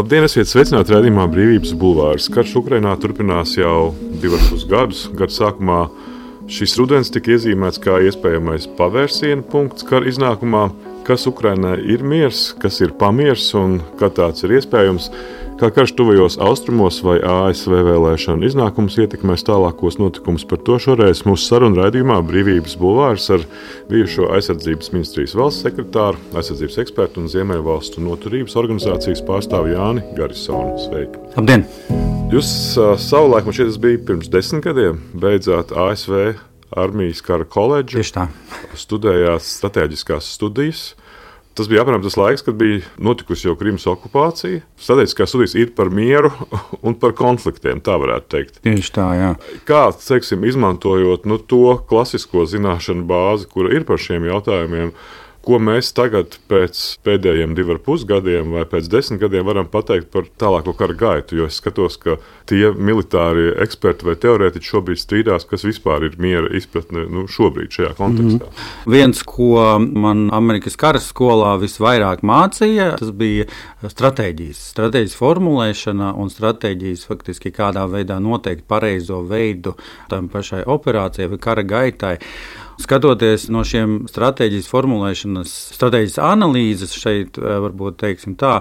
Labdien, esiet sveicināti raidījumā Brīvības bulvārs. Karš Ukrainā turpinās jau 2,5 gadus. Gada sākumā šis rudens tika iezīmēts kā iespējamais pavērsiena punkts kara iznākumā. Kas Ukrainai ir miers, kas ir pamiers un kā tāds ir iespējams? Kā karš tuvajos austrumos vai ASV vēlēšanu iznākums ietekmēs tālākos notikumus, par to šoreiz mūsu sarunu raidījumā Brīvības bulvārs ar bijušo aizsardzības ministrijas valsts sekretāru, aizsardzības ekspertu un Ziemeļvalstu noturības organizācijas pārstāvi Jāni Garisonu. Sveiki! Labdien! Jūs savulaik, man šķiet, tas bija pirms 10 gadiem, beidzāt ASV armijas kara koledžu. Tieši tā. Studējāt strateģiskās studijas. Tas bija apmēram tas laiks, kad bija notikusi jau Krimas okupācija. Strateģiskās studijas ir par mieru un par konfliktiem, tā varētu teikt. Tieši tā, jā. Kā, teiksim, izmantojot to klasisko zināšanu bāzi, kura ir par šiem jautājumiem, ko mēs tagad pēc pēdējiem 2,5 gadiem vai pēc 10 gadiem varam pateikt par tālāko kara gaitu? Jo es skatos, ka tie militārie eksperti vai teorētiķi šobrīd strīdās, kas vispār ir miera izpratne šobrīd šajā kontekstā. Viens, ko man Amerikas kara skolā visvairāk mācīja, tas bija stratēģijas formulēšana un stratēģijas faktiski kādā veidā noteikt pareizo veidu tam pašai operācijai vai kara gaitai. Skatoties no šiem stratēģijas formulēšanas, stratēģijas analīzes šeit, varbūt teiksim tā,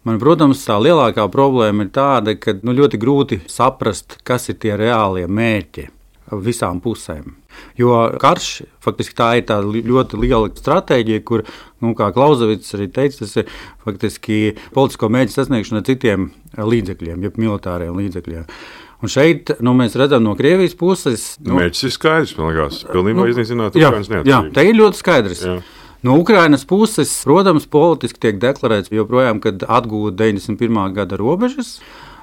man, protams, tā lielākā problēma ir tāda, ka ļoti grūti saprast, kas ir tie reālie mērķi visām pusēm. Jo karš, faktiski tā ir tā ļoti liela stratēģija, kur, kā Klausevits arī teica, tas ir faktiski politisko mērķu sasniegšana ar citiem līdzekļiem, jeb militāriem līdzekļiem. Un šeit mēs redzam no Krievijas puses. Mērķis ir skaidrs, man liekas, pilnībā iznīcināt Ukrainas neatkarību. Jā, te ir ļoti skaidrs. Jā. No Ukrainas puses, protams, politiski tiek deklarēts joprojām, kad atgūt 91. gada robežas,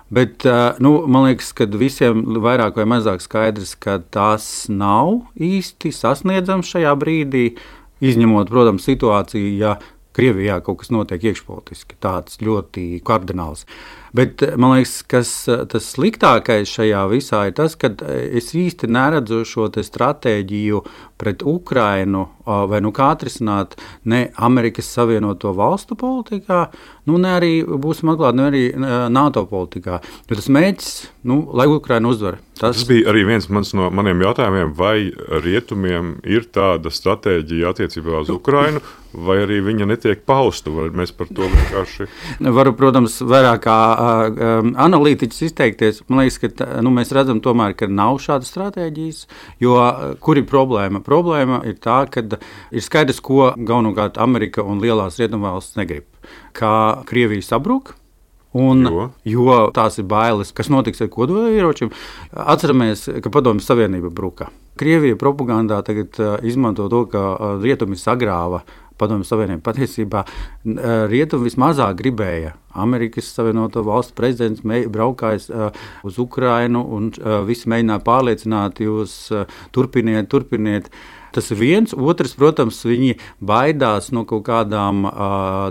bet man liekas, ka visiem vairāk vai mazāk skaidrs, ka tas nav īsti sasniedzams šajā brīdī, izņemot, protams, situāciju, ja Krievijā kaut kas notiek iekšpolitiski, tāds ļoti kardināls. Bet man liekas, kas tas sliktākais šajā visā ir tas, ka es īsti neredzu šo stratēģiju pret Ukrainu vai kā atrisināt ne Amerikas Savienoto Valstu politikā, ne arī būsim atklāti, ne arī NATO politikā. Jo tas mērķis, lai Ukraina uzvar. Tas bija arī viens no maniem jautājumiem, vai rietumiem ir tāda stratēģija attiecībā uz Ukrainu, vai arī viņa netiek pausta, vai mēs par to vienkārši... Varu, protams, vairāk kā analītiķis izteikties. Man liekas, ka mēs redzam tomēr, ka nav šādas stratēģijas, jo kur ir problēma? Problēma ir tā, ka ir skaidrs, ko galvenokārt Amerika un lielās rietumvalstis negrib. Kā Krievija sabruk, jo tās ir bailes, kas notiks ar kodolieročiem. Atceramies, ka Padomju Savienība bruka. Krievija propagandā tagad izmanto to, ka rietumi sagrāva Padomju Savienību. Patiesībā rietumi vismazāk gribēja. Amerikas Savienoto Valstu prezidents braukājis uz Ukrainu un visi mēģināja pārliecināt jūs turpiniet. Tas ir viens. Otrs, protams, viņi baidās no kaut kādām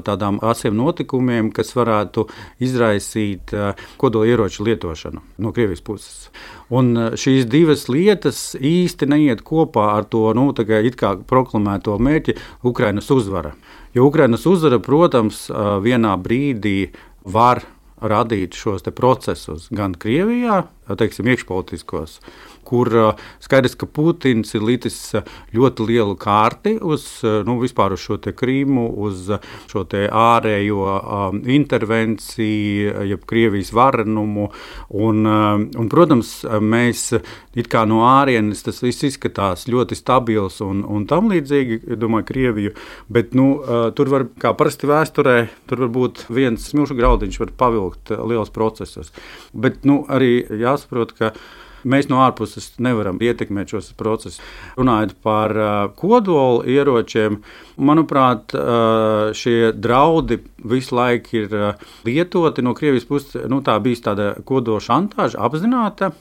tādām asiem notikumiem, kas varētu izraisīt kodolieroču lietošanu no Krievijas puses. Un šīs divas lietas īsti neiet kopā ar to it kā proklamēto mērķi Ukrainas uzvara. Jo Ukrainas uzvara, protams, vienā brīdī var radīt šos procesus gan Krievijā, teiksim, iekšpolitiskos, kur skaidrs, ka Putins ir licis ļoti lielu kārti uz vispār uz šo Krīmu, uz šo ārējo intervenciju, jeb Krievijas varenumu. Un, protams, mēs it kā no ārienes tas viss izskatās ļoti stabils un tam līdzīgi, domāju, Krieviju, bet tur var, kā parasti vēsturē, tur var būt viens smilšu graudiņš, var pavilkt liels procesus. Bet arī jāsaprot, ka mēs no ārpuses nevaram ietekmēt šos procesus. Runājot par kodolu ieročiem, manuprāt, šie draudi visu laiku ir lietoti no Krievijas puses. Tā bija tāda kodola šantāža apzināta.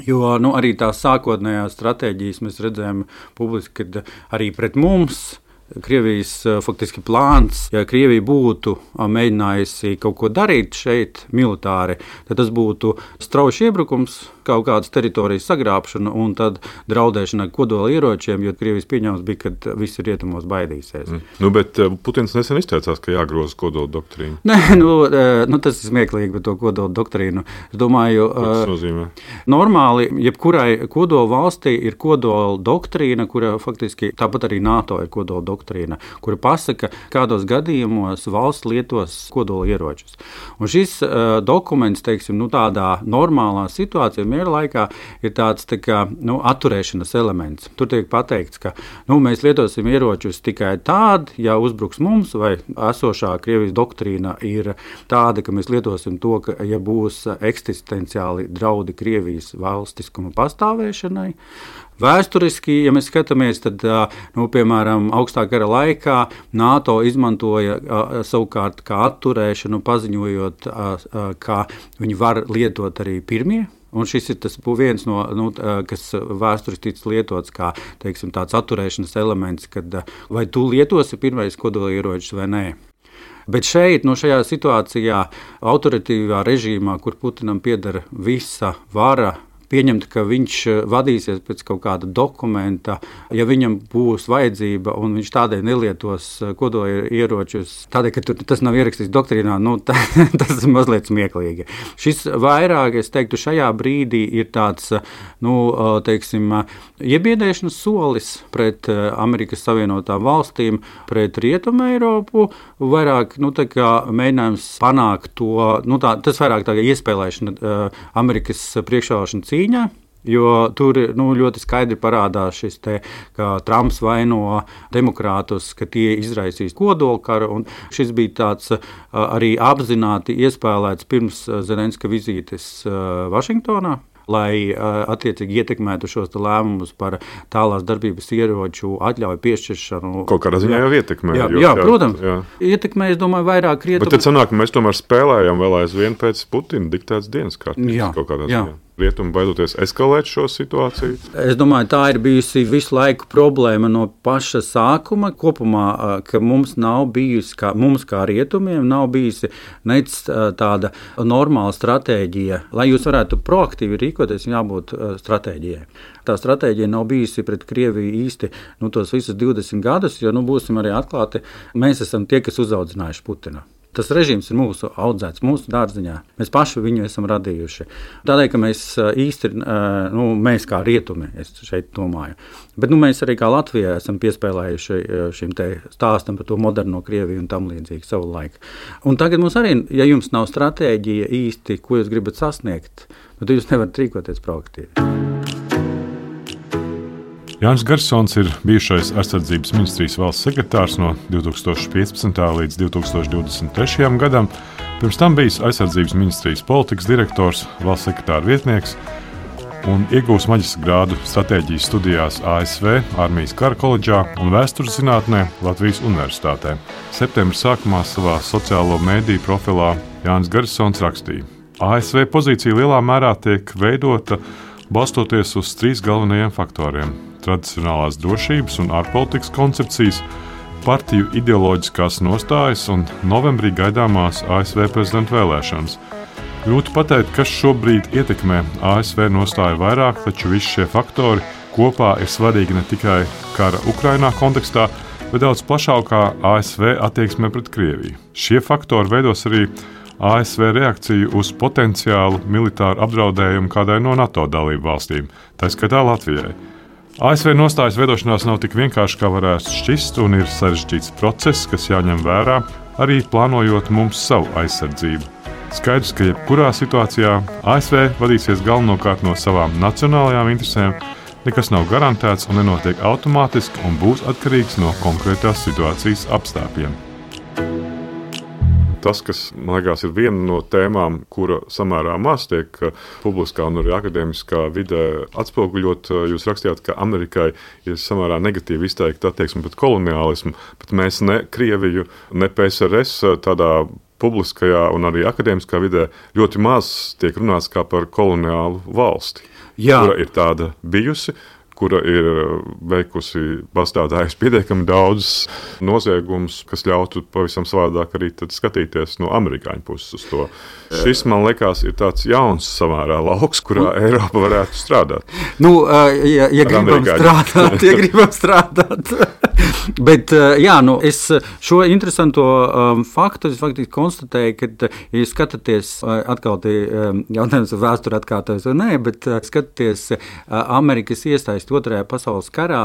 Jo arī tās sākotnējās stratēģijas mēs redzējām publiski, kad arī pret mums Krievijas faktiski plāns, ja Krievija būtu mēģinājusi kaut ko darīt šeit militāri, tad tas būtu strauji iebrukums kaut kādas teritorijas sagrābšanu un tad draudēšana ar kodola ieročiem, jo Krievijas pieņēmums bija, ka visi rietumos baidīsies. Bet Putins nesen izteicās, ka jāgroza kodola doktrīna. Nē, tas ir smieklīgi par to kodola doktrīnu. Es domāju, tas nozīmē? Normāli, jebkurai kodola valstī ir kodola doktrīna, kura faktiski tāpat arī NATO ir kodola doktrīna, kura pasaka, kādos gadījumos valsts lietos kodola ieročus. Un šis dokuments, teiksim, tādā normālā situācijā, miera laikā, ir tāds atturēšanas elements. Tur tiek pateikts, ka mēs lietosim ieročus tikai tādi, ja uzbruks mums, vai esošā Krievijas doktrīna ir tāda, ka mēs lietosim to, ka, ja būs eksistenciāli draudi Krievijas valstiskuma pastāvēšanai. Vēsturiski, ja mēs skatāmies, tad, piemēram, augstā kara laikā NATO izmantoja savukārt kā atturēšanu, paziņojot, ka viņi var lietot arī pirmie. Un šis ir tas viens no, kas vēsturiski ticis lietots kā, teiksim, tāds atturēšanas elements, kad vai tu lietosi pirmais kodolieročus vai nē. Bet šeit, šajā situācijā, autoritīvā režīmā, kur Putinam pieder visa vara, pieņemt, ka viņš vadīsies pēc kaut kāda dokumenta, ja viņam būs vajadzība un viņš tādēļ nelietos kodolieročus, tādēļ, ka tas nav ierakstīts doktrīnā, tas ir mazliet smieklīgi. Šis vairāk, es teiktu, šajā brīdī ir tāds, teiksim, iebiedēšanas solis pret Amerikas Savienotām valstīm, pret Rietumu Eiropu, vairāk, mēģinājums panākt to, tas vairāk tā iespēlēšana Amerikas priekšvēlēšana cīņā, jo tur ļoti skaidri parādās šis ka Trumps vaino demokrātus, ka tie izraisīs kodolkaru, un šis bija tāds arī apzināti iespēlēts pirms Zelenska vizītes Vašingtonā, lai attiecīgi ietekmētu šos lēmumus par tālās darbības ieroču atļauju piešķiršanu. Kaut kādā ziņā jau ietekmē. Jā, protams. Jā. Ietekmē, es domāju, vairāk rietumu. Bet tad sanāk, ka mēs tomēr spēlējam vēl aizvien pēc Putina diktētas dienas kārtības kaut kādā ziņā. Rietumi baidoties eskalēt šo situāciju? Es domāju, tā ir bijusi visu laiku problēma no paša sākuma. Kopumā, ka mums nav bijusi, mums kā rietumiem, nav bijusi nec tāda normāla stratēģija. Lai jūs varētu proaktīvi rīkoties, jābūt stratēģijai. Tā stratēģija nav bijusi pret Krieviju īsti tos visus 20 gadus, jo, būsim arī atklāti, mēs esam tie, kas uzaudzinājuši Putinu. Tas režīms ir mūsu audzēts, mūsu dārziņā. Mēs paši viņu esam radījuši. Tādēļ, ka mēs īsti, mēs kā rietumi, es šeit domāju, bet mēs arī kā Latvijā esam piespēlējuši šim stāstam par to moderno Krieviju un tam līdzīgi savu laiku. Un tagad mums arī, ja jums nav stratēģija īsti, ko jūs gribat sasniegt, tad jūs nevarat rīkoties proaktīvi. Jānis Garsons ir bijušais aizsardzības ministrijas valsts sekretārs no 2015. līdz 2023. gadam. Pirms tam bijis aizsardzības ministrijas politikas direktors, valsts sekretāra vietnieks un iegūs maģistra grādu stratēģijas studijās ASV, Armijas kara koledžā un vēstures zinātnē Latvijas Universitātē. Septembra sākumā savā sociālo mēdīju profilā Jānis Garsons rakstīja: ASV pozīcija lielā mērā tiek veidota balstoties uz 3 galvenajiem faktoriem – tradicionālās drošības un ārpolitikas koncepcijas, partiju ideoloģiskās nostājas un novembrī gaidāmās ASV prezidenta vēlēšanas. Grūti pateikt, kas šobrīd ietekmē ASV nostāju vairāk, taču visi šie faktori kopā ir svarīgi ne tikai kara Ukrainā kontekstā, bet daudz plašākā ASV attieksmē pret Krieviju. Šie faktori veidos arī ASV reakciju uz potenciālu militāru apdraudējumu kādai no NATO dalību valstīm, tā skaitā Latvijai. ASV nostājas veidošanās nav tik vienkārši, kā varētu šķist, un ir sarežģīts process, kas jāņem vērā, arī plānojot mums savu aizsardzību. Skaidrs, ka jebkurā situācijā ASV vadīsies galvenokārt no savām nacionālajām interesēm, nekas nav garantēts un nenotiek automātiski un būs atkarīgs no konkrētās situācijas apstākļiem. Tas, kas, man liekas, ir viena no tēmām, kura samērā maz tiek publiskā un arī akadēmiskā vidē atspoguļot. Jūs rakstījāt, ka Amerikai ir samērā negatīvi izteikta attieksme pret koloniālismu, bet mēs ne Krieviju, ne PSRS tādā publiskajā un arī akadēmiskā vidē ļoti maz tiek runāts kā par koloniālu valsti, kura ir tāda bijusi. kura ir veikusi pastādājusi pietiekami daudz noziegumus, kas ļautu pavisam savādāk arī skatīties no amerikāņu puses uz to. Šis, man liekas, ir tāds jauns samērā lauks, kurā Eiropa varētu strādāt. Ja gribam strādāt. Bet es šo interesanto faktu faktiski konstatēju, ka, ja skatāties atkal jautājums vēsturi atkārtojas vai nē, bet skatāties Amerikas iesaisti Otrajā pasaules karā,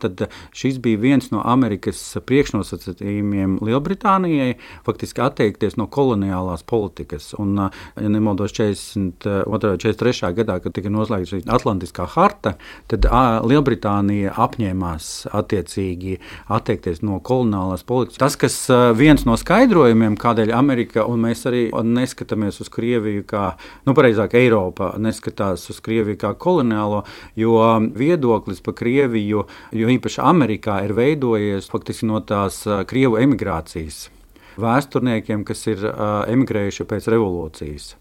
tad šis bija viens no Amerikas priekšnosacījumiem Lielbritānijai faktiski atteikties no koloniālās politikas. Un, ja nemaldos 42. 43. gadā, kad tika noslēgta šī Atlantiskā harta, tad Lielbritānija apņēmās attiecīgi atteikties no koloniālās politikas. Tas, kas viens no skaidrojumiem, kādēļ Amerika un mēs arī neskatāmies uz Krieviju kā, pareizāk Eiropa neskatās uz Krieviju kā koloniālo, jo viedoklis par Krieviju, jo īpaši Amerikā ir veidojies faktiski no tās Krievu emigrācijas vēsturniekiem, kas ir emigrējuši pēc revolūcijas.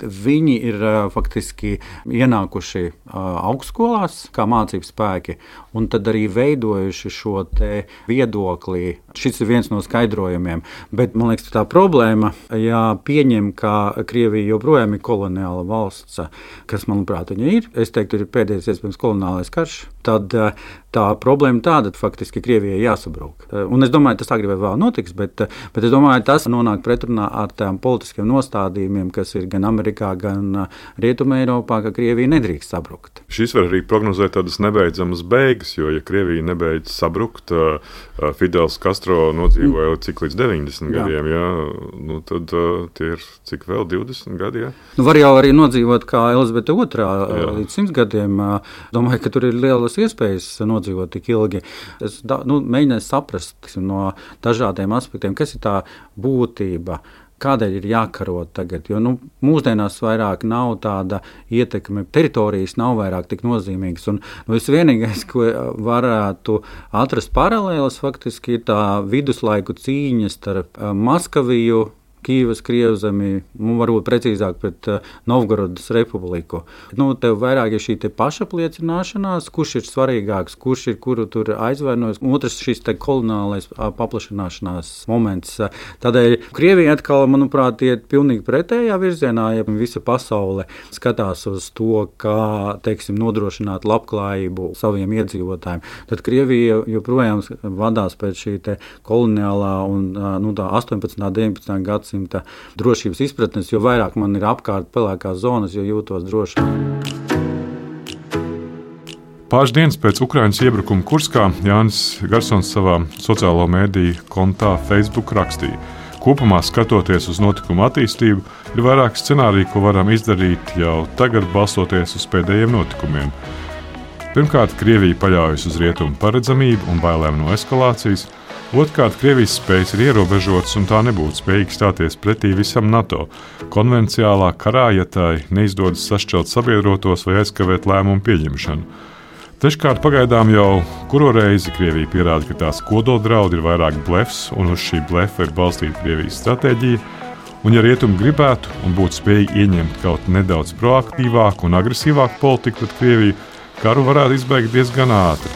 Viņi ir faktiski ienākuši augstskolās kā mācību spēki un tad arī veidojuši šo te viedokli. Šis ir viens no skaidrojumiem, bet man liekas, tā problēma, ja pieņem, ka Krievija joprojām ir koloniāla valsts, kas, manuprāt, viņa ir, es teiktu, ir pēdējais iespējams koloniālais karš, tad tā problēma tāda, faktiski Krievijai jāsabrūk. Un es domāju, tas agrāk vai vēl notiks, bet es domāju, tas nonāk pretrunā ar tām politiskiem nostādījumiem, kas ir gan Amerikā, gan Rietumē Eiropā, ka Krievija nedrīkst sabrukt. Šis var arī prognozēt tādas nebeidzamas beigas, jo, ja Krievija nebeidz sabrukt, Fidels Castro nodzīvoja cik līdz 90 gadiem, tad tie ir cik vēl 20 gadi, jā? Var jau arī nodzīvot kā Elizabete II līdz 100 gadiem. Domāju, ka tur ir lielas iespējas nodzīvot tik ilgi. Es mēģināju saprast no dažādiem aspektiem, kas ir tā būtība, kādēļ ir jākaro tagad, jo mūsdienās vairāk nav tāda ietekme, teritorijas nav vairāk tik nozīmīgas. Un visvienīgais, ko varētu atrast paralēlas, faktiski ir tā viduslaiku cīņa starp Maskaviju, Kīvas Krievzemi, varbūt precīzāk pret Novgorodas republiku. Tev vairāk ir šī pašapliecināšanās, kurš ir svarīgāks, kurš ir kuru tur aizvainojas. Otrs šis koloniālais paplašanāšanās moments. Tādēļ Krievija atkal, manuprāt, iet pilnīgi pretējā virzienā, ja visa pasaule skatās uz to, kā, nodrošināt labklājību saviem iedzīvotājiem. Tad Krievija joprojām vadās pēc šī koloniālā un tā 18. 19. gadsimta drošības izpratnes, jo vairāk man ir apkārt pelēkās zonas, jo jūtos droši. Pāris dienas pēc Ukrainas iebrukuma Kurskā Jānis Garsons savā sociālo mēdīju kontā Facebook rakstīja: kopumā skatoties uz notikumu attīstību, ir vairāk scenāriju, ko varam izdarīt jau tagad, balstoties uz pēdējiem notikumiem. Pirmkārt, Krievija paļaujas uz rietumu paredzamību un bailēm no eskalācijas. Otrkārt, Krievijas spējas ir ierobežotas un tā nebūtu spējīga stāties pretī visam NATO konvenciālā karā, ja tai neizdodas sašķelt sabiedrotos vai aizkavēt lēmumu pieņemšanu. Treškārt, pagaidām jau kuro reizi Krievija pierāda, ka tās kodoldraudi ir vairāk blefs un uz šī blefa ir balstīta Krievijas stratēģija, un ja rietumi gribētu un būtu spējīgi ieņemt kaut nedaudz proaktīvāku un agresīvāku politiku pret Krieviju, karu varētu izbeigt diezgan ātri.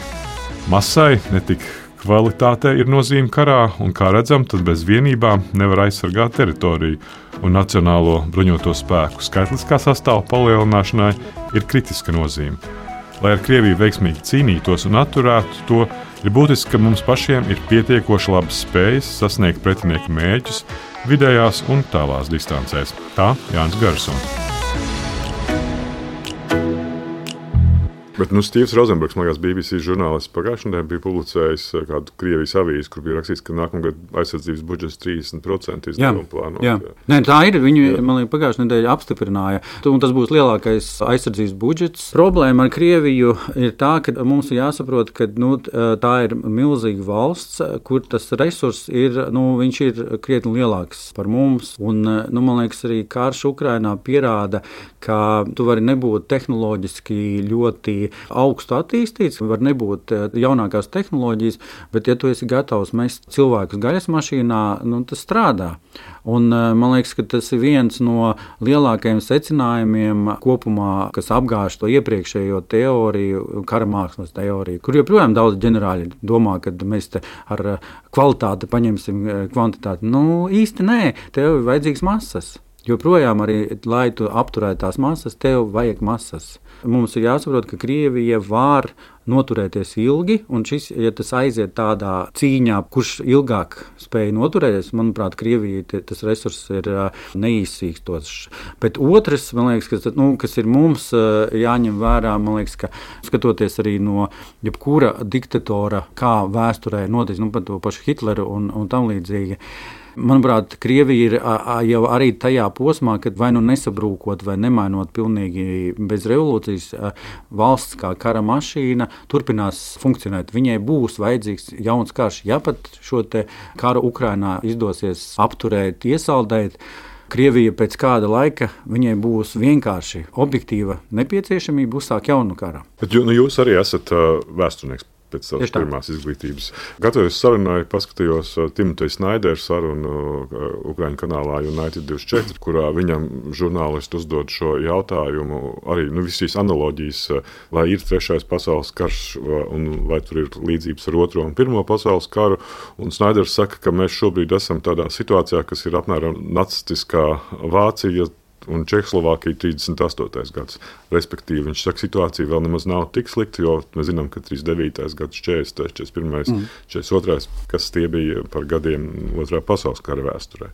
Masai, ne tik kvalitātei ir nozīme karā, un, kā redzam, tad bez vienībām nevar aizsargāt teritoriju, un nacionālo bruņoto spēku skaitliskā sastāva palielināšanai ir kritiska nozīme. Lai ar Krieviju veiksmīgi cīnītos un atturētu to, ir būtiski, ka mums pašiem ir pietiekoši labas spējas sasniegt pretinieka mērķus vidējās un tālās distancēs. Tā Jānis Garsons. Bet Stīvs Rozenbergs, man liekas, BBC žurnālists pagājušajā nedēļā bija publicējis kādu Krievijas avīzi, kur bija rakstīts, ka nākamgad aizsardzības budžets 30% izdevumu plānot. Jā. Nē, tā ir. Viņi, man liekas, pagājušajā nedēļā apstiprināja. Un tas būs lielākais aizsardzības budžets. Problēma ar Krieviju ir tā, ka mums ir jāsaprot, ka tā ir milzīga valsts, kur tas resurss ir, viņš ir krietni lielāks par mums. Un, man liekas, arī karš Ukrainā pierāda, ka tu vari nebūt tehnoloģiski ļoti augstu attīstīts, var nebūt jaunākās tehnoloģijas, bet, ja tu esi gatavs mest cilvēkus gaisa mašīnā, tas strādā. Un, man liekas, ka tas ir viens no lielākajiem secinājumiem kopumā, kas apgāž to iepriekšējo teoriju, kara mākslas teoriju, kur joprojām daudz ģenerāļi domā, ka mēs te ar kvalitāti paņemsim kvantitāti. Īsti nē, tev ir vajadzīgs masas. Joprojām arī, lai tu apturētu tās masas, tev vajag masas. Mums ir jāsaprot, ka Krievija var noturēties ilgi, un ja tas aiziet tādā cīņā, kurš ilgāk spēja noturēties, manuprāt, Krievija tas resurss ir neizsīkstošs. Bet otrs, man liekas, kas ir mums jāņem vērā, man liekas, ka skatoties arī no jebkura diktatora, kā vēsturē noticis, par to pašu Hitleru un tam līdzīgi. Manuprāt, Krievija ir jau arī tajā posmā, kad vai nesabrūkot, vai nemainot pilnīgi bez revolūcijas, valsts kā kara mašīna turpinās funkcionēt. Viņai būs vajadzīgs jauns karš. Ja pat šo te karu Ukrainā izdosies apturēt, iesaldēt, Krievija pēc kāda laika viņai būs vienkārši objektīva nepieciešamība uzsākt jaunu karu. Bet jūs arī esat vēsturnieks. Pēc savas pirmās izglītības. Gatavojos sarunai, paskatījos Timoteja Snaidera sarunu Ukraiņu kanālā United 24, kurā viņam žurnālisti uzdod šo jautājumu, arī visīs analoģijas, vai ir trešais pasaules karš un vai tur ir līdzības ar otro un pirmo pasaules karu. Un Snaiders saka, ka mēs šobrīd esam tādā situācijā, kas ir apmēram nacistiskā Vācija un Čehoslovākija 38. gads. Respektīvi, viņš saka, situācija vēl nemaz nav tik slikta, jo mēs zinām, ka 39. gads, 40., 41., 42., kas tie bija par gadiem otrā pasaules kara vēsturē.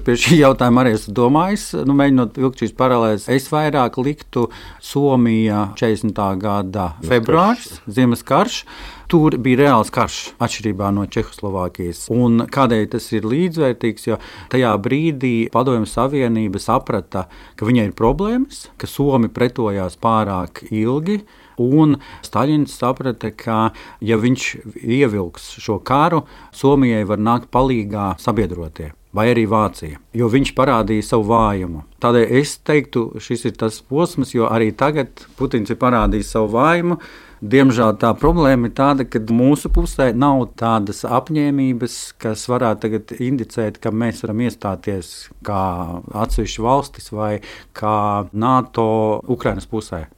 Pie šī jautājuma arī esmu domājis, mēģinot vilkt šīs paralēles. Es vairāk liktu Somija 40. gada februāris, Ziemas karš. Tur bija reāls karš, atšķirībā no Čehoslovākijas. Un kādēļ tas ir līdzvērtīgs, jo tajā brīdī Padomju Savienība saprata, ka viņai ir problēmas, ka Somi pretojās pārāk ilgi, un Staļins saprata, ka ja viņš ievilks šo karu, Somijai var nākt palīgā sabiedrotie. Vai arī Vācija, jo viņš parādīja savu vājumu. Tādēļ es teiktu, šis ir tas posms, jo arī tagad Putins ir parādījis savu vājumu. Diemžēl tā problēma ir tāda, ka mūsu pusē nav tādas apņēmības, kas varētu tagad indicēt, ka mēs varam iestāties kā atsevišķi valstis vai kā NATO Ukrainas pusē.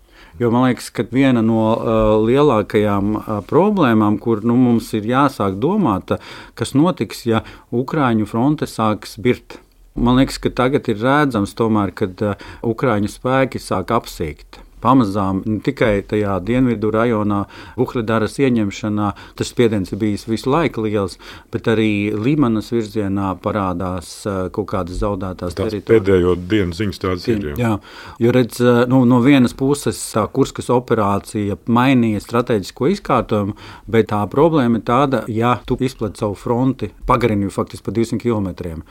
Jo man liekas, ka viena no lielākajām problēmām, kur mums ir jāsāk domāt, kas notiks, ja Ukraiņu fronte sāks birt. Man liekas, ka tagad ir redzams, tomēr, kad Ukraiņu spēki sāk apsīkt. Pamazām ne tikai tajā dienvidu rajonā, Vuhledaras ieņemšanā, tas spiediens ir bijis visu laiku liels, bet arī Limanas virzienā parādās kaut kādas zaudētās teritorijas. Pēdējo dienu ziņas tādas ir. Jā, jo redz, no vienas puses tā Kurskas operācija mainīja strateģisko izkārtojumu, bet tā problēma ir tāda, ja tu izplati savu fronti, pagarini faktiski pa 200 kilometriem,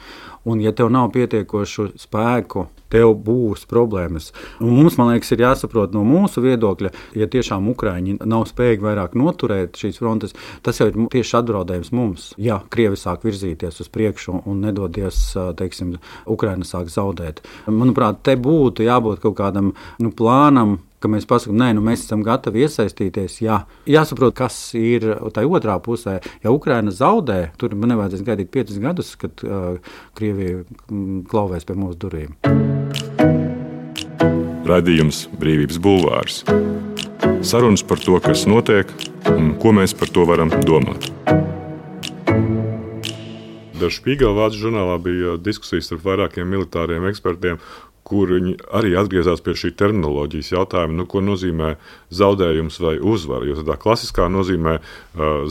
un ja tev nav pietiekošu spēku, tev būs problēmas. Un mums, man liekas, ir jāsaprot no mūsu viedokļa, ja tiešām Ukraiņi nav spējīgi vairāk noturēt šīs frontes, tas jau ir tieši apdraudējums mums. Ja Krievi sāk virzīties uz priekšu un nedodies, teiksim, Ukraina sāk zaudēt. Manuprāt, te būtu jābūt kaut kādam plānam, ka mēs pasakām, nē, mēs esam gatavi iesaistīties. Jā. Jāsaprot, kas ir tai otrā pusē. Ja Ukraina zaudē, tur nevajadzēs gaidīt 5 gadus, kad Krievija klauvēs pie mūsu durvīm. Raidījums Brīvības bulvārs. Sarunas par to, kas notiek un ko mēs par to varam domāt. Der Spiegel vācu žurnālā bija diskusijas ar vairākiem militāriem ekspertiem, kur viņi arī atgriezās pie šī terminoloģijas jautājuma, ko nozīmē zaudējums vai uzvara. Jo tādā klasiskā nozīmē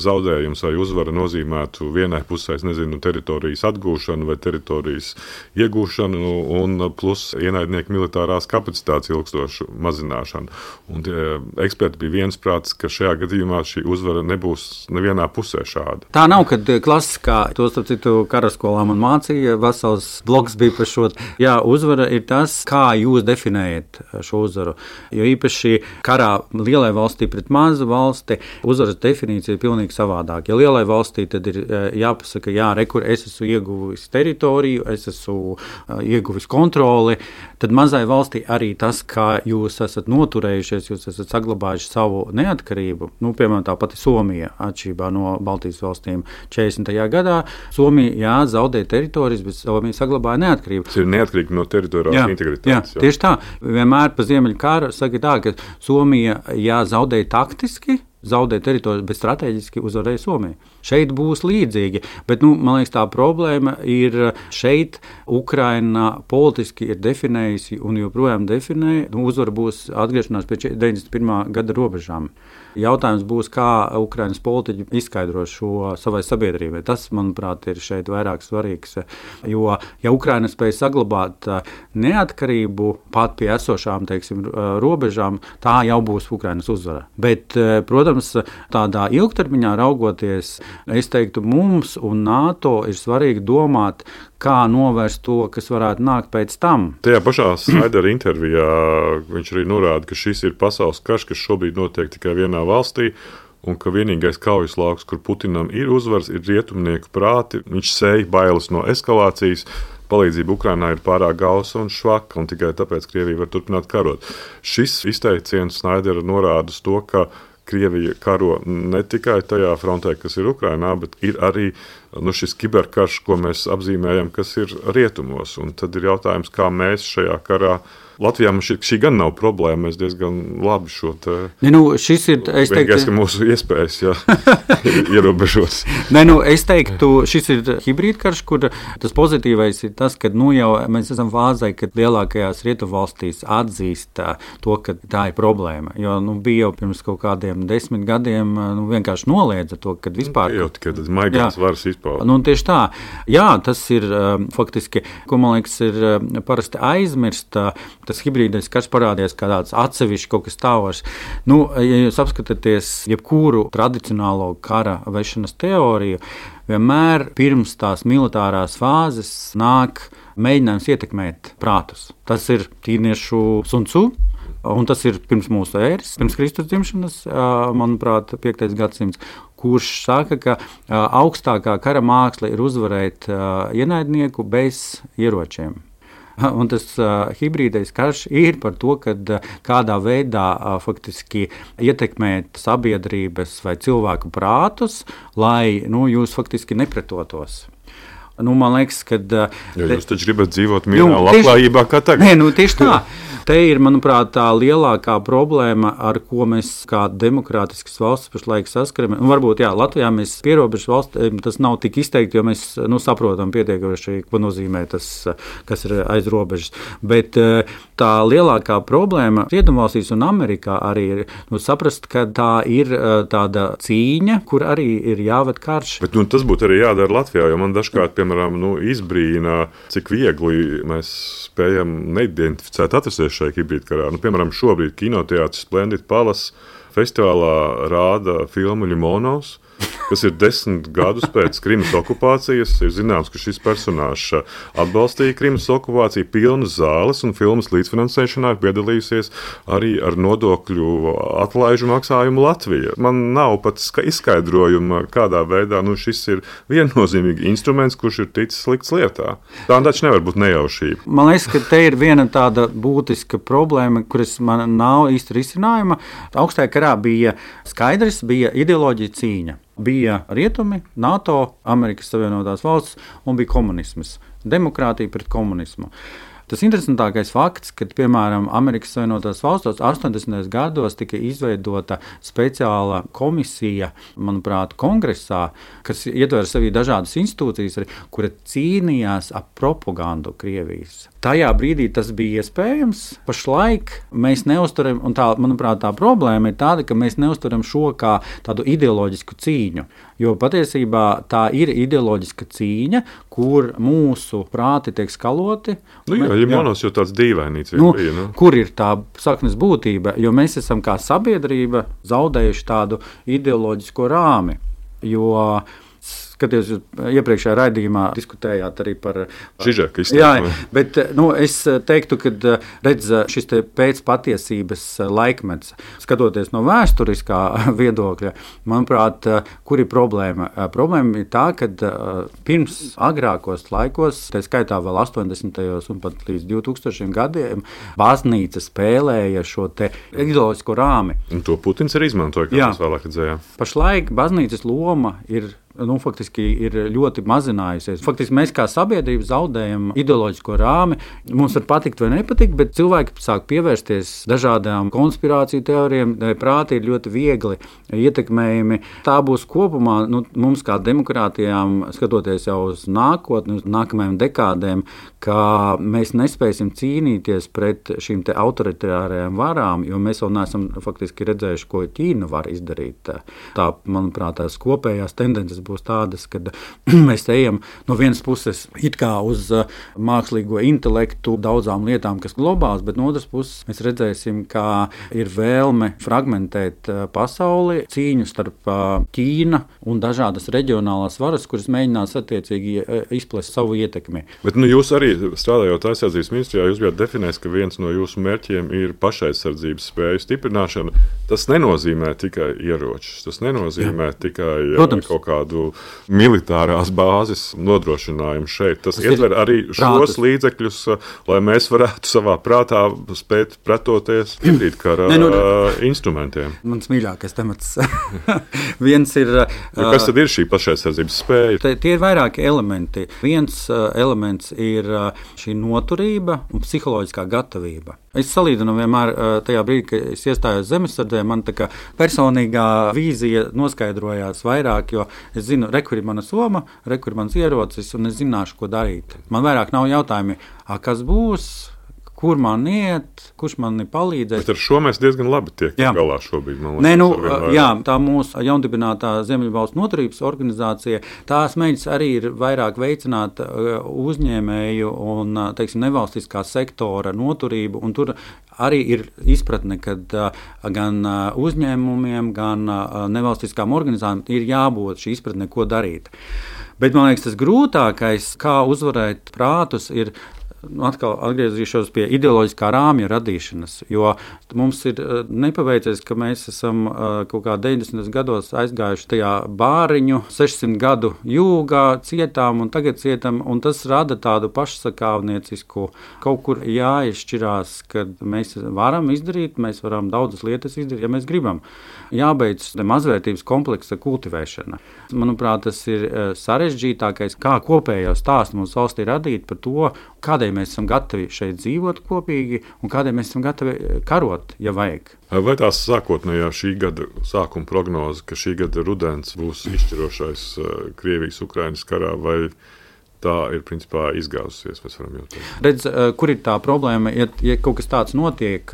zaudējums vai uzvara nozīmētu vienai pusē, teritorijas atgūšanu vai teritorijas iegūšanu un plus ienaidnieku militārās kapacitātes ilgstošu mazināšanu. Un eksperti bija viensprātis, ka šajā gadījumā šī uzvara nebūs nevienā pusē šāda. Tā nav, kad klasiskā, to starp citu karaskolā man mācīja, vesels bloks bija par šo. Jā, uzvara ir tas, tas, kā jūs definējat šo uzvaru. Jo īpaši karā lielai valstī pret mazu valsti uzvaras definīcija ir pilnīgi savādāk. Ja lielai valstī tad ir jāpasaka, jā, rekur, es esmu ieguvis teritoriju, es esmu ieguvis kontroli, tad mazai valstī arī tas, kā jūs esat noturējušies, jūs esat saglabājuši savu neatkarību. Piemēram, tā pati Somija, atšķirībā no Baltijas valstīm 40. gadā. Somija zaudēja teritorijas, bet Somija saglabāja neatkarību. Tas ir neatkarīgi no teritoriālās integritātes. Jā, tieši tā. Vienmēr pa Ziemeļu karu saka tā, ka Somija zaudēja taktiski, zaudēja teritoriju, bet strateģiski uzvarēja Somiju. Šeit būs līdzīgi, bet man liekas, tā problēma ir šeit. Ukraina politiski ir definējusi un joprojām definē, uzvara būs atgriešanās pie 91. gada robežām. Jautājums būs, kā Ukrainas politiķi izskaidro šo savai sabiedrībai. Tas, manuprāt, ir šeit vairāk svarīgs. Jo, ja Ukraina spēj saglabāt neatkarību pat pie esošām, robežām, tā jau būs Ukrainas uzvara. Bet, protams, tādā ilgtermiņā raugoties, es teiktu, mums un NATO ir svarīgi domāt, kā novērst to, kas varētu nākt pēc tam. Tajā pašā Snaidera intervijā viņš arī norāda, ka šis ir pasaules karš, kas šobrīd notiek tikai vienā valstī, un ka vienīgais kaujas lauks, kur Putinam ir uzvars, ir rietumnieku prāti. Viņš sēja bailes no eskalācijas. Palīdzība Ukrainai ir pārāk gausa un švaka, un tikai tāpēc Krievija var turpināt karot. Šis izteiciens Snaidera norāda uz to, ka Krievija karo ne tikai tajā frontē, kas ir Ukrainā, bet ir arī šis kiberkarš, ko mēs apzīmējam, kas ir rietumos. Un tad ir jautājums, kā mēs šajā karā. Latvijā mums šī gan nav problēma, mēs diezgan labi šo te... šis ir, es teiktu... Vienīgais, ka mūsu iespējas, ierobežos. Es teiktu, šis ir hibrīdkarš, kur tas pozitīvais ir tas, ka jau mēs esam fāzē, kad lielākajās rietumvalstīs atzīst to, ka tā ir problēma. Jo bija jau pirms kaut kādiem 10 gadiem vienkārši noliedza to, kad vispār... Jau tikai tas maigās varas izpauda. Tieši tā. Jā, tas ir faktiski, ko man liekas, ir parasti aizmirst. Tas hibrīdais karš parādījās kā tāds atsevišķs kaut kas tāvars. Ja jūs apskatāties jebkuru tradicionālo kara vešanas teoriju, vienmēr pirms tās militārās fāzes nāk mēģinājums ietekmēt prātus. Tas ir ķīniešu Sun Tzu, un tas ir pirms mūsu ēras, pirms Kristus dzimšanas, manuprāt, 5. gadsimts, kurš saka, ka augstākā kara māksla ir uzvarēt ienaidnieku bez ieročiem. Un tas hibrīdais karš ir par to, ka kādā veidā faktiski ietekmēt sabiedrības vai cilvēku prātus, lai jūs faktiski nepretotos. Man liekas, ka... Jūs taču gribat dzīvot mierā, labklājībā kā tagad. Tieši tā. Te ir, manuprāt, tā lielākā problēma, ar ko mēs kā demokrātiskas valsts pašlaik saskaramies. Varbūt, Latvijā mēs pierobežu valsts, tas nav tik izteikti, jo mēs saprotam pietiekoši, ko nozīmē tas, kas ir aiz robežas. Bet tā lielākā problēma Rietumvalstīs un Amerikā arī ir saprast, ka tā ir tāda cīņa, kur arī ir jāved karš. Bet tas būtu arī jādara Latvijā, jo man dažkārt, piemēram, izbrīna, cik viegli mēs spējam neidentificēt atrasties šajā hibrīdkarā. Piemēram, šobrīd kinoteātris Splendid Palace festivālā rāda filmu Ļimonovs, kas ir 10 gadus pēc Krimas okupācijas. Ir zināms, ka šis personāžs atbalstīja Krimas okupāciju, pilnas zāles, un filmas līdzfinansēšanā ir piedalījusies arī ar nodokļu atlaižu maksājumu Latvija. Man nav pat izskaidrojuma, kādā veidā šis ir viennozīmīgi instruments, kurš ir ticis likts lietā. Tā taču nevar būt nejaušība. Man liekas, ka te ir viena tāda būtiska problēma, kuras man nav īsti risinājuma. Augstajā karā bija skaidrs, bija ideoloģija cīņa. Bija rietumi, NATO, Amerikas Savienotās valsts un bija komunisms. Demokrātija pret komunismu. Tas interesantākais fakts, ka, piemēram, Amerikas Savienotās valstos 80. gados tika izveidota speciāla komisija, manuprāt, kongresā, kas ietver sevī dažādas institūcijas, kura cīnījās ap propagandu Krievijas. Tajā brīdī tas bija iespējams. Pašlaik mēs neuzturam, un tā, manuprāt, tā problēma ir tāda, ka mēs neuzturam šo kā tādu ideoloģisku cīņu. Jo patiesībā tā ir ideoloģiska cīņa, kur mūsu prāti tiek skaloti. Ļimonovs jau tāds dīvainīts bija. Kur ir tā saknes būtība? Jo mēs esam kā sabiedrība zaudējuši tādu ideoloģisko rāmi. Jo skatījos, iepriekšējā raidījumā diskutējāt arī par Žižeka izteiksmi. Jā, bet es teiktu, ka redz šis pēcpatiesības laikmets, skatoties no vēsturiskā viedokļa, manuprāt, kur ir problēma? Problēma ir tā, ka pirms agrākos laikos, tā skaitā vēl 80. un pat līdz 2000 gadiem, baznīca spēlēja šo te ideoloģisko rāmi. Un to Putins arī izmantoja, kā mēs vēlāk redzējām. Pašlaik baznīcas loma ir faktiski ir ļoti mazinājusies. Faktiski mēs kā sabiedrība zaudējam ideoloģisko rāmi. Mums var patikt vai nepatikt, bet cilvēki sāk pievērsties dažādām konspirāciju teorijām. Prāti ir ļoti viegli ietekmējami. Tā būs kopumā mums kā demokrātijām, skatoties jau uz nākotni, uz nākamajām dekādēm, ka mēs nespēsim cīnīties pret šīm te autoritārajām varām, jo mēs vēl neesam faktiski redzējuši, ko Ķīna var izdarīt. Tā, manuprāt, tās kopējās tendences būs tādas, ka mēs ejam no vienas puses it kā uz mākslīgo intelektu daudzām lietām, kas globāls, bet no otras puses mēs redzēsim, ka ir vēlme fragmentēt pasauli, cīņu starp Ķīna un dažādas reģionālās varas, kuras mēģinās attiecīgi izplest savu ietekmi. Bet jūs arī strādājot aizsardzības ministrijā, jūs bijāt definējis, ka viens no jūsu mērķiem ir pašaizsardzības spēju stiprināšana. Tas nenozīmē tikai ieročus, tas nenozīmē tikai kaut kādu militārās bāzes nodrošinājumu šeit. Tas ietver arī šos līdzekļus, lai mēs varētu savā prātā spēt pretoties hibridkara instrumentiem. Mans mīļākais temats. Viens ir... Kas tad ir šī pašaizsardzības spēja? Tie ir vairāki elementi. Viens elements ir šī noturība un psiholoģiskā gatavība. Es salīdzinu vienmēr tajā brīdī, kad es iestājos zemesardzē, man tā kā personīgā vīzija noskaidrojās vairāk, jo es zinu, kur ir mana soma, kur ir mans ierocis, un es zināšu, ko darīt. Man vairāk nav jautājumi, kas būs, kur man iet, kurš man palīdzēs. Bet ar šo mēs diezgan labi tiekam galā šobrīd. Tā mūsu jaundibinātā Ziemeļvalstu noturības organizācija, tās mēģis arī ir vairāk veicināt uzņēmēju un, teiksim, nevalstiskā sektora noturību, un tur arī ir izpratne, ka gan uzņēmumiem, gan nevalstiskām organizācijām ir jābūt šī izpratne, ko darīt. Bet man liekas, tas grūtākais, kā uzvarēt prātus, ir atkal atgriezīšos pie ideoloģiskā rāmja radīšanas, jo mums ir nepaveicies, ka mēs esam kaut kā 90. gados aizgājuši tajā bāriņu, 600 gadu jūgā, cietām un tagad cietam, un tas rada tādu pašsakāvniecisku, kaut kur jāizšķirās, kad mēs varam izdarīt, mēs varam daudzas lietas izdarīt, ja mēs gribam. Jābeidz mazvērtības kompleksa kultivēšana. Manuprāt, tas ir sarežģītākais, kā kopējo stāstu mums valstī radīt par to, kādēļ mēs esam gatavi šeit dzīvot kopīgi un kādēļ mēs esam gatavi karot, ja vajag. Vai tās sākotnējā šī gada sākuma prognoze, ka šī gada rudens būs izšķirošais Krievijas-Ukrainas karā, vai tā ir principā izgāzusies, mēs varam jautāt? Redz, kur ir tā problēma? Ja kaut kas tāds notiek,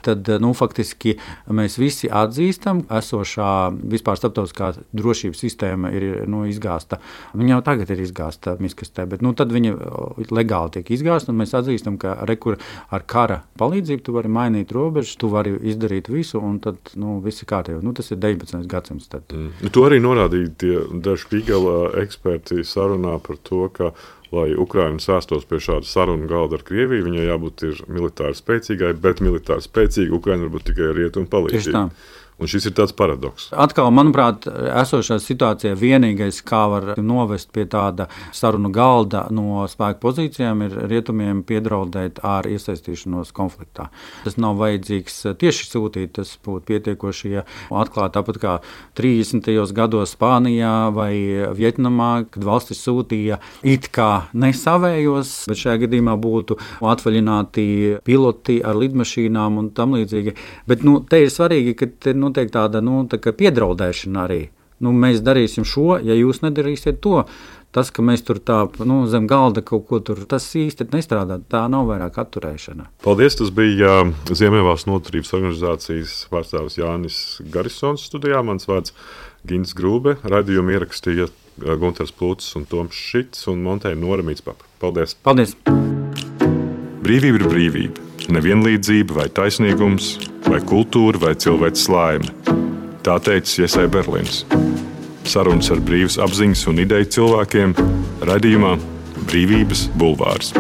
tad faktiski mēs visi atzīstam, esošā vispār starptautiskā drošības sistēma ir izgāsta. Viņa jau tagad ir izgāsta miskastē, bet tad viņa legāli tiek izgāsta, un mēs atzīstam, ka rekur ar kara palīdzību tu vari mainīt robežas, tu vari izdarīt visu, un tad viss ir kārtībā. Tas ir 19. gadsimts. To arī norādīja tie daži Špīgela eksperti sarunā par to, ka lai Ukraina sēstos pie šāda sarunu galda ar Krieviju, viņai jābūt militāri spēcīgai, bet militāri spēcīga Ukraina var būt tikai rietumu palīdzība. Un šis ir tāds paradoks. Atkal, manuprāt, esošā situācijā vienīgais, kā var novest pie tāda sarunu galda no spēku pozīcijām, ir rietumiem piedraudēt ar iesaistīšanos konfliktā. Tas nav vajadzīgs tieši sūtīt, tas būtu pietiekoši, ja atklāt tāpat kā 30. gados Spānijā vai Vietnamā, kad valstis sūtīja it kā nesavējos, bet šajā gadījumā būtu atvaļināti piloti ar lidmašīnām un tam līdzīgi. Bet te ir svarīgi, ka notiek tāda piedraudēšana arī. Mēs darīsim šo, ja jūs nedarīsiet to. Tas, ka mēs tur zem galda kaut ko tur, tas īsti nestrādā. Tā nav vairāk atturēšana. Paldies, tas bija Ziemeļvalstu noturības organizācijas pārstāvis Jānis Garisons studijā. Mans vārds Gins Grūbe. Raidījumu ierakstīja Gunters Plūcis un Toms Šits un montēja Nora Mītspapa. Paldies! Paldies! Brīvība ir brīvība. Nevienlīdzība vai taisnīgums, vai kultūra vai cilvēks laime. Tā teica Iesai Berlīns. Sarunas ar brīvas apziņas un ideju cilvēkiem raidījumā Brīvības bulvārs.